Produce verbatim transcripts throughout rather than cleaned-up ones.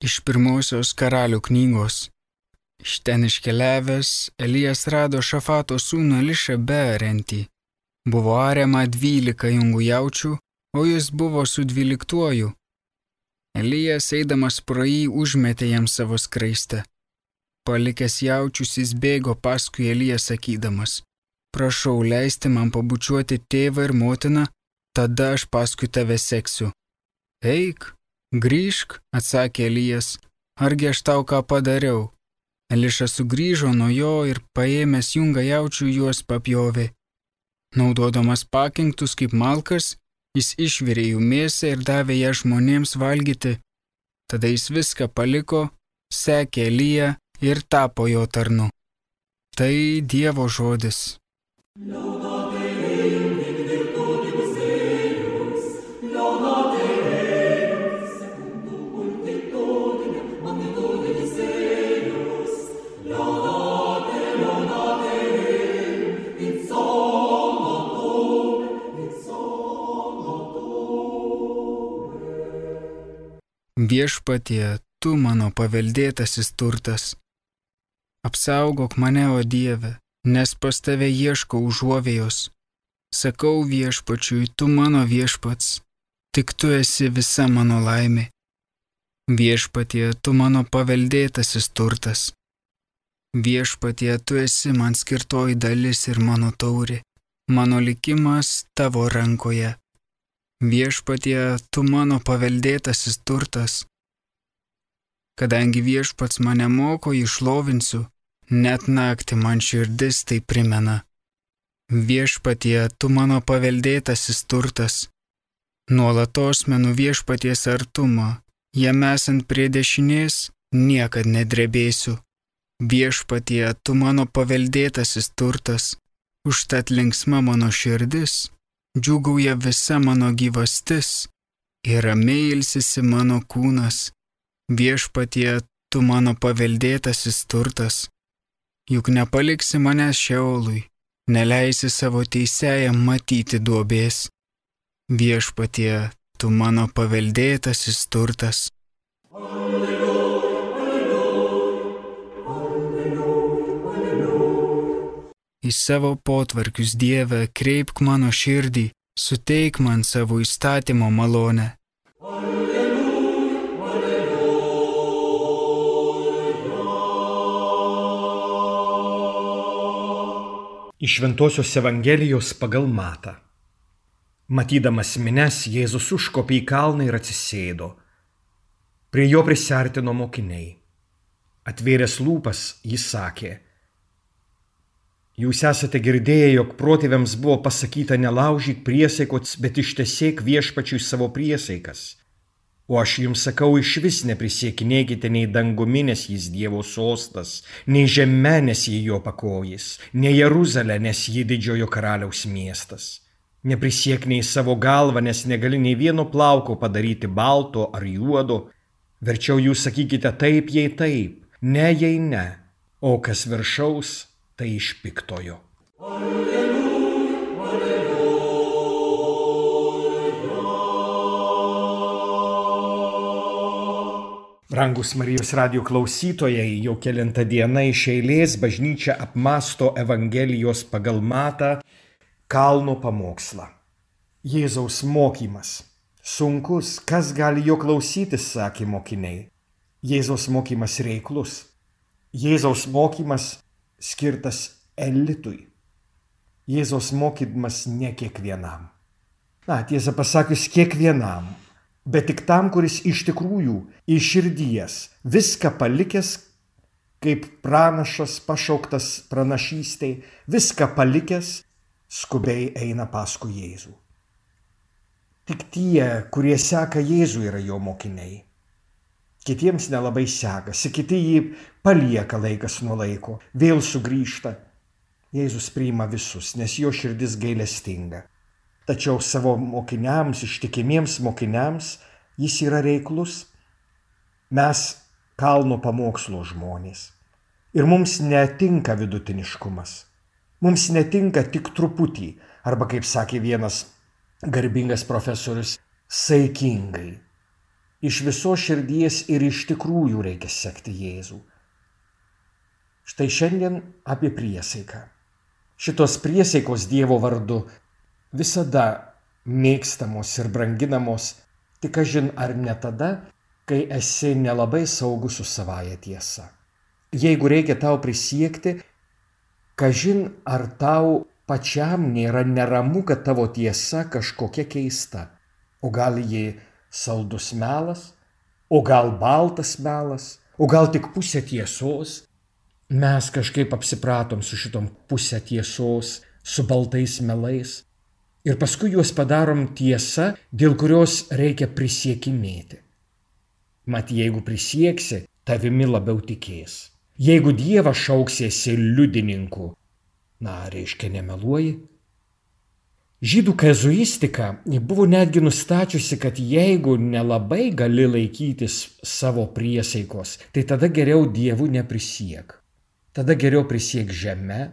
Iš pirmosios Karalių knygos. Iš ten iškeliavęs, Elijas rado Šafato sūnų Elišą beariantį. Buvo ariama dvylika jungų jaučių, o jis buvo su dvyliktuoju. Elijas eidamas pro jį užmetė jam savo skraistę. Palikęs jaučius jis bėgo paskui Eliją sakydamas: prašau leisti man pabučiuoti tėvą ir motiną, tada aš paskui tave seksiu. Eik, grįžk, atsakė Elijas, argi aš tau ką padariau? Elišas sugrįžo nuo jo ir paėmęs jungą jaučių juos papjovė. Naudodamas pakinktus kaip malkas, jis išvirė jų mėsą ir davė ją žmonėms valgyti. Tada jis viską paliko, sekė Eliją ir tapo jo tarnu. Tai Dievo žodis. Viešpatie, tu mano paveldėtasis turtas. Apsaugok mane, o Dieve, nes pas tave ieškau užuovėjos. Sakau viešpačiui, tu mano viešpats, tik tu esi visa mano laimė. Viešpatie, tu mano paveldėtasis turtas. Viešpatie, tu esi man skirtoji dalis ir mano taurė, mano likimas tavo rankoje. Viešpatie, tu mano paveldėtasis turtas. Kadangi viešpats mane moko, jį šlovinsiu, net naktį man širdis tai primena. Viešpatie, tu mano paveldėtasis turtas. Nuolatos menu viešpaties artumą, jam esant prie dešinės, niekad nedrebėsiu. Viešpatie, tu mano paveldėtasis turtas, užtat linksma mano širdis, džiūgauja visa mano gyvastis ir ramiai ilsisi mano kūnas. Viešpatie, tu mano paveldėtasis turtas. Juk nepaliksi manęs šeolui, neleisi savo teisėjam matyti duobės. Viešpatie, tu mano paveldėtasis turtas. Į savo potvarkius, Dieve, kreipk mano širdį, suteik man savo įstatymo malonę. Iš Šventosios Evangelijos pagal Matą. Matydamas minias, Jėzus užkopė į kalną ir atsisėdo. Prie jo prisiartino mokiniai. Atvėręs lūpas, jis sakė: jūs esate girdėję, jog protėviams buvo pasakyta nelaužyk priesaikos, bet ištesėk viešpačiui savo priesaikas. O aš jums sakau, išvis neprisiekinėkite nei dangumi, nes jis Dievo sostas, nei žeme, nes jį jo pakojis, nei Jeruzalę, nes jį didžiojo karaliaus miestas. Neprisiek nei savo galvą, nes negali nei vieno plauko padaryti balto ar juodo. Verčiau jūs sakykite taip, jei taip, ne, jei ne, o kas viršaus, tai iš piktojo. Alleluja, alleluja. Brangus Marijos radijo klausytojai, jau kelintą dieną iš eilės bažnyčia apmąsto Evangelijos pagal Matą kalno pamokslą. Jėzaus mokymas. Sunkus, kas gali jo klausytis, sakė mokiniai. Jėzaus mokymas reiklus. Jėzaus mokymas skirtas elitui. Jėzaus mokymas ne kiekvienam. Na, tiesą pasakius, kiekvienam, bet tik tam, kuris iš tikrųjų iš širdies viską palikęs, kaip pranašas pašauktas pranašystei, viską palikęs, skubiai eina paskui Jėzų. Tik tie, kurie seka Jėzų, yra jo mokiniai. Kitiems nelabai sekasi, kiti jį palieka laikas nuo laiko, vėl sugrįžta. Jėzus priima visus, nes jo širdis gailestinga. Tačiau savo mokiniams, ištikimiems mokiniams, jis yra reiklus. Mes kalno pamokslo žmonės. Ir mums netinka vidutiniškumas. Mums netinka tik truputį, arba, kaip sakė vienas garbingas profesorius, saikingai. Iš visos širdies ir iš tikrųjų reikia sekti Jėzų. Štai šiandien apie priesaiką. Šitos priesaikos Dievo vardu visada mėgstamos ir branginamos, tik kažin ar ne tada, kai esi nelabai saugus su savaja tiesa. Jeigu reikia tau prisiekti, kažin ar tau pačiam nėra neramu, kad tavo tiesa kažkokia keista. O gal ji saldus melas, o gal baltas melas, o gal tik pusė tiesos. Mes kažkaip apsipratom su šitom pusė tiesos, su baltais melais. Ir paskui juos padarom tiesa, dėl kurios reikia prisiekinėti. Mat, jeigu prisieksi, tavimi labiau tikės. Jeigu Dievą šauksiesi liudininku, na, reiškia nemeluoji. Žydų kazuistika buvo netgi nustačiusi, kad jeigu nelabai gali laikytis savo priesaikos, tai tada geriau Dievu neprisiek. Tada geriau prisiek žeme,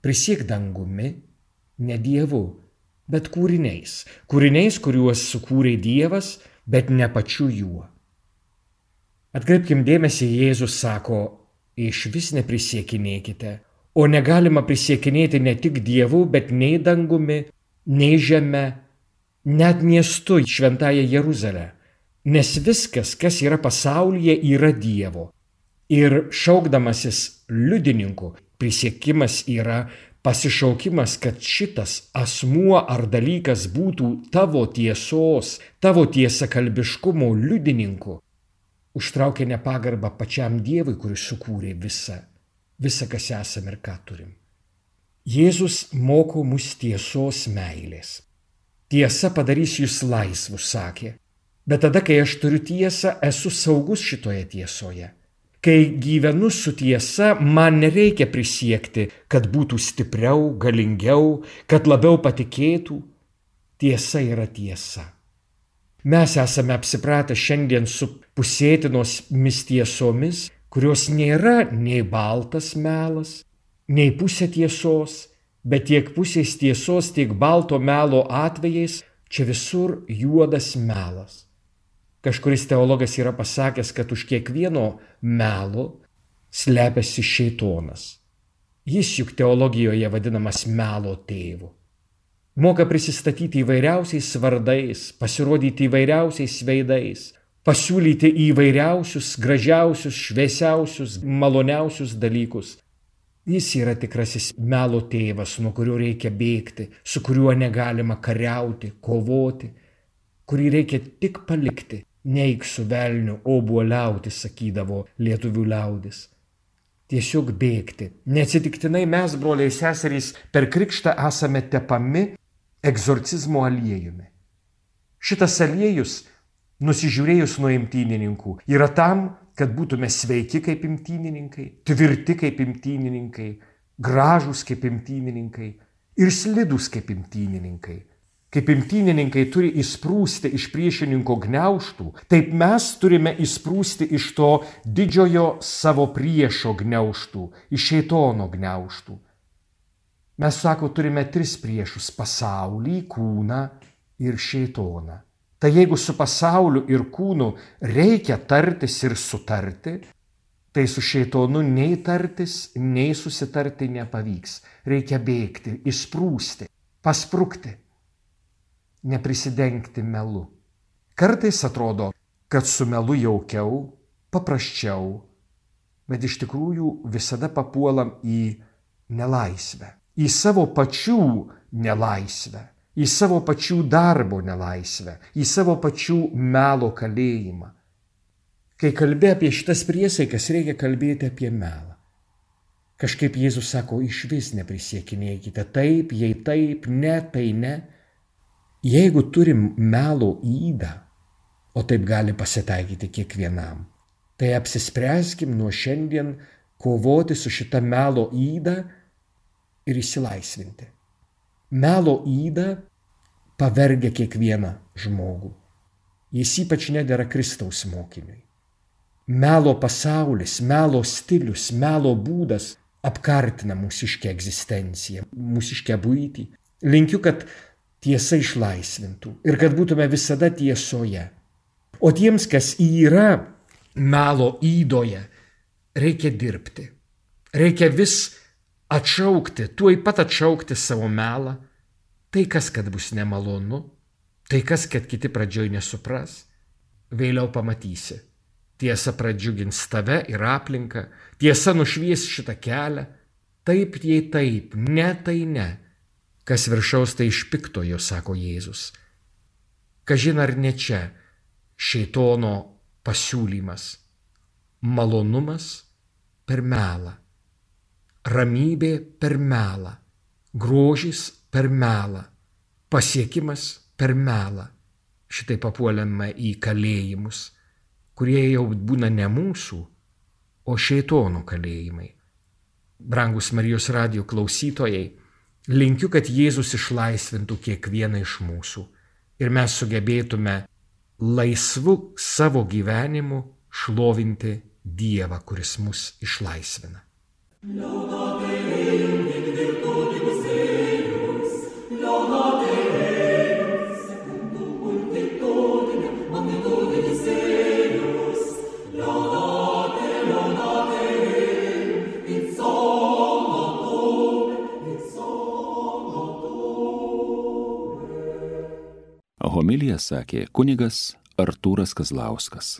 prisiek dangumi, ne Dievu, bet kūriniais. Kūriniais, kuriuos sukūrė Dievas, bet ne pačiu juo. Atkreipkim dėmesį, Jėzus sako, iš vis neprisiekinėkite, o negalima prisiekinėti ne tik Dievu, bet nei dangumi, nei žeme, net miestu šventąją Jeruzalę. Nes viskas, kas yra pasaulyje, yra Dievo. Ir šaukdamasis liudininku, prisiekimas yra pasišaukimas, kad šitas asmuo ar dalykas būtų tavo tiesos, tavo tiesakalbiškumo liudininku. Užtraukia nepagarbą pačiam Dievui, kuris sukūrė visą, visą, kas esame ir ką turim. Jėzus moko mus tiesos meilės. Tiesa padarys jūs laisvus, sakė. Bet tada, kai aš turiu tiesą, esu saugus šitoje tiesoje. Kai gyvenu su tiesa, man nereikia prisiekti, kad būtų stipriau, galingiau, kad labiau patikėtų. Tiesa yra tiesa. Mes esame apsipratę šiandien su pusėtinomis tiesomis, kurios nėra nei baltas melas, nei pusė tiesos, bet tiek pusės tiesos, tiek balto melo atvejais čia visur juodas melas. Kažkuris teologas yra pasakęs, kad už kiekvieno melo slepiasi šėtonas. Jis juk teologijoje vadinamas melo tėvu. Moka prisistatyti įvairiausiais vardais, pasirodyti įvairiausiais veidais, pasiūlyti įvairiausius, gražiausius, šviesiausius, maloniausius dalykus. Jis yra tikrasis melo tėvas, nuo kurio reikia bėgti, su kuriuo negalima kariauti, kovoti, kurį reikia tik palikti. Neik su velniu obuoliauti, sakydavo lietuvių liaudis. Tiesiog bėgti. Neatsitiktinai mes, broliai seserys, per krikštą esame tepami egzorcizmo aliejumi. Šitas aliejus, nusižiūrėjus nuo imtynininkų, yra tam, kad būtume sveiki kaip imtynininkai, tvirti kaip imtynininkai, gražūs kaip imtynininkai ir slidūs kaip imtynininkai. Kaip imtynininkai turi įsprūsti iš priešininko gniaužtų, taip mes turime įsprūsti iš to didžiojo savo priešo gniaužtų, iš šėtono gniaužtų. Mes, sako, turime tris priešus – pasaulį, kūną ir šėtoną. Tai jeigu su pasauliu ir kūnu reikia tartis ir sutarti, tai su šėtonu nei tartis, nei susitarti nepavyks. Reikia bėgti, įsprūsti, pasprukti. Neprisidengti melu. Kartais atrodo, kad su melu jaukiau, paprasčiau, bet iš tikrųjų visada papuolam į nelaisvę, į savo pačių nelaisvę, į savo pačių darbo nelaisvę, į savo pačių melo kalėjimą. Kai kalbė apie šitas priesaikas, reikia kalbėti apie melą. Kažkaip Jėzus sako, iš vis neprisiekinėkite, taip, jei taip, ne, tai ne. Jeigu turim melo ydą, o taip gali pasitaikyti kiekvienam, tai apsispręskim nuo šiandien kovoti su šita melo yda ir išsilaisvinti. Melo yda pavergia kiekvieną žmogų. Jis ypač nedera Kristaus mokiniui. Melo pasaulis, melo stilius, melo būdas apkartina mūsiškę egzistenciją, mūsiškę buitį. Linkiu, kad tiesa išlaisvintų ir kad būtume visada tiesoje. O tiems, kas yra melo įdoje, reikia dirbti. Reikia vis atšaukti, tuoj pat atšaukti savo melą. Tai kas, kad bus nemalonu, tai kas, kad kiti pradžioj nesupras, vėliau pamatysi. Tiesa pradžiugins tave ir aplinką, tiesa nušvies šitą kelią. Taip, jei taip, ne, tai ne. Kas viršaus, tai iš piktojo, sako Jėzus. Kažin ar ne čia šėtono pasiūlymas. Malonumas per melą, ramybė per melą, grožis per melą, pasiekimas per melą. Šitai papuolėme į kalėjimus, kurie jau būna ne mūsų, o šėtono kalėjimai. Brangus Marijos radijo klausytojai, linkiu, kad Jėzus išlaisvintų kiekvieną iš mūsų ir mes sugebėtume laisvu savo gyvenimu šlovinti Dievą, kuris mus išlaisvina. Homiliją sakė kunigas Artūras Kazlauskas.